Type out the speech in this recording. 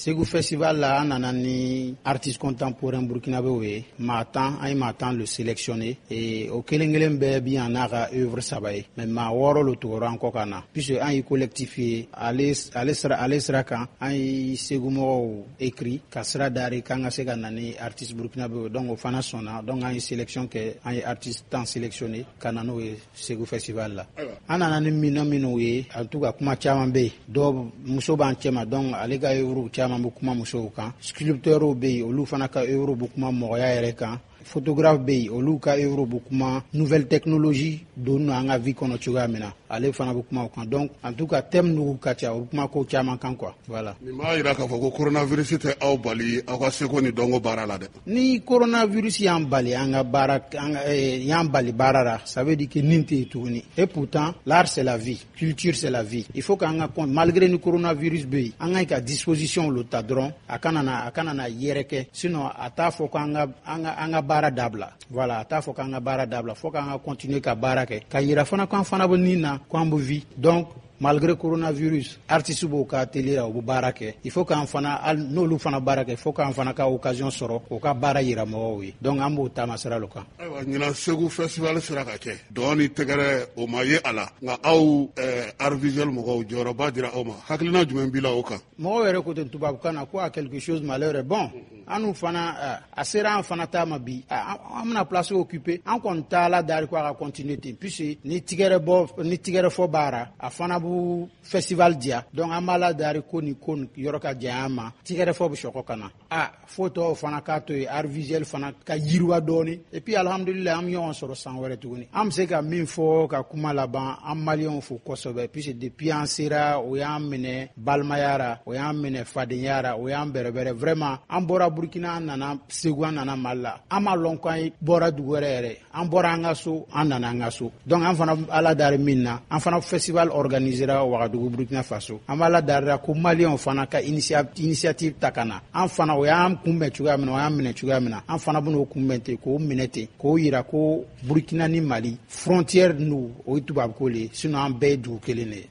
Segu Festival la, an nana ni artiste contemporain burkinabéw ye, maa 10. An ye maa 10 le sélectionné et o kelen kelen bɛɛ bi yan n'a ka œuvre saba ye, mais maa wɔɔrɔ lo tugura an kɔ ka na, puisque an ye collectif ye. Ale sira kan, an ye Segu mɔgɔw écrit ka sira dari k'an ka se ka na ni artiste burkinabéw ye. Donc o fana sɔnna. Donc an ye sélection kɛ, an ye artiste 10 sélectionné ka na n'o ye Segu Festival la. An nana ni minɛn minnu ye, en tout cas kuma caman bɛ yen. Dɔw muso b'an cɛma, donc ale ka œuvre caman bɛ kuma musow kan. Sculpteurs bɛ yen, olu fana ka œuvre bɛ kuma mɔgɔya yɛrɛ kan. Photographe bɛ yen, olu ka œuvre bɛ kuma nouvelle technologie don an ka vie kɔnɔ cogoya min na, ale fana bɛ kuma o kan. Donc en tout cas, thème ninnu ka ca, u bɛ kuma ko caman kan quoi, voilà. Nin b'a jira k'a fɔ ko coronavirus tɛ aw bali aw ka seko ni dɔnko baara la dɛ. Ni coronavirus y'an bali an ka baara, an y'an bali baara la, ça veut dire que nin tɛ yen tuguni. Et pourtant, l'art, c'est la vie, culture, c'est la vie. Il faut k'an ka, malgré ni coronavirus bɛ yen, an ka disposition lo ta dɔrɔn, a kana na yɛrɛkɛ. Sinon a t'a fɔ k'an ka an ka baara dabila. Voilà, a t'a fɔ k'an ka baara dabila, fo k'an ka continuer ka baara kɛ, ka yira fana k'an fana bɛ nin na, k'an bɛ vie. Donc malgré coronavirus, artiste b'o ka atelier la, u bɛ baara kɛ. Il faut k'an fana, hali n'olu fana baara kɛ, il faut k'an fana ka occasion sɔrɔ k'o ka baara yira mɔgɔw ye. Donc an b'o taama sira lo kan. Ayiwa, ɲinan Segu Festival sera ka kɛ, dɔn ni tɛgɛrɛ o ma ye a la, nka aw art visuel mɔgɔw, jɔyɔrɔba dira aw ma. Hakilina jumɛn b'i la o kan? Mɔgɔw yɛrɛ ko ten tubabukan na ko a quelque chose malheur est bon. An fana, a sera an fana ta ma bi, an bɛna place occuper. An kɔni t'a la dari ko a ka continuer ten, puisque ni tigɛrɛ bɔ ni tigɛrɛ fɔ b'ara, a fana b'u festival diya. Donc an b'a la dari ko ni ko yɔrɔ ka jan an ma, tigɛrɛ fɔ bɛ sɔkɔ ka na a fo tɔw fana k'a to yen, art visuel fana ka yiriwa dɔɔni. Et puis alhamdulilayi, an bɛ ɲɔgɔn sɔrɔ san wɛrɛ tuguni. An bɛ se ka min fɔ ka kuma laban, an maliyɛnw fo kosɛbɛ, puisque depuis an sera, o y'an minɛ balimaya ra, o y'an minɛ fadenya ra, o y'an bɛrɛbɛrɛ. Vraiment, an bɔra Burukina, an nana Segu, an nana Mali la, an m'a lɔn k'an bɔra dugu wɛrɛ yɛrɛ. An bɔra an ka so, an nana an ka so. Donc an fana ala dari min na, an fana festival organisera Wagadugu, Burukina Faso. An b'ala darira ko maliyɛnw fana ka initiative ta ka na an fana. O y'an kunbɛn cogoya min na, o y'an minɛ cogoya min na, an fana bɛn'o kunbɛn ten, k'o minɛ ten, k'o yira ko Burukina ni Mali frontière nu, o ye tubabuko le ye, sinon an bɛɛ ye dugu kelen de ye.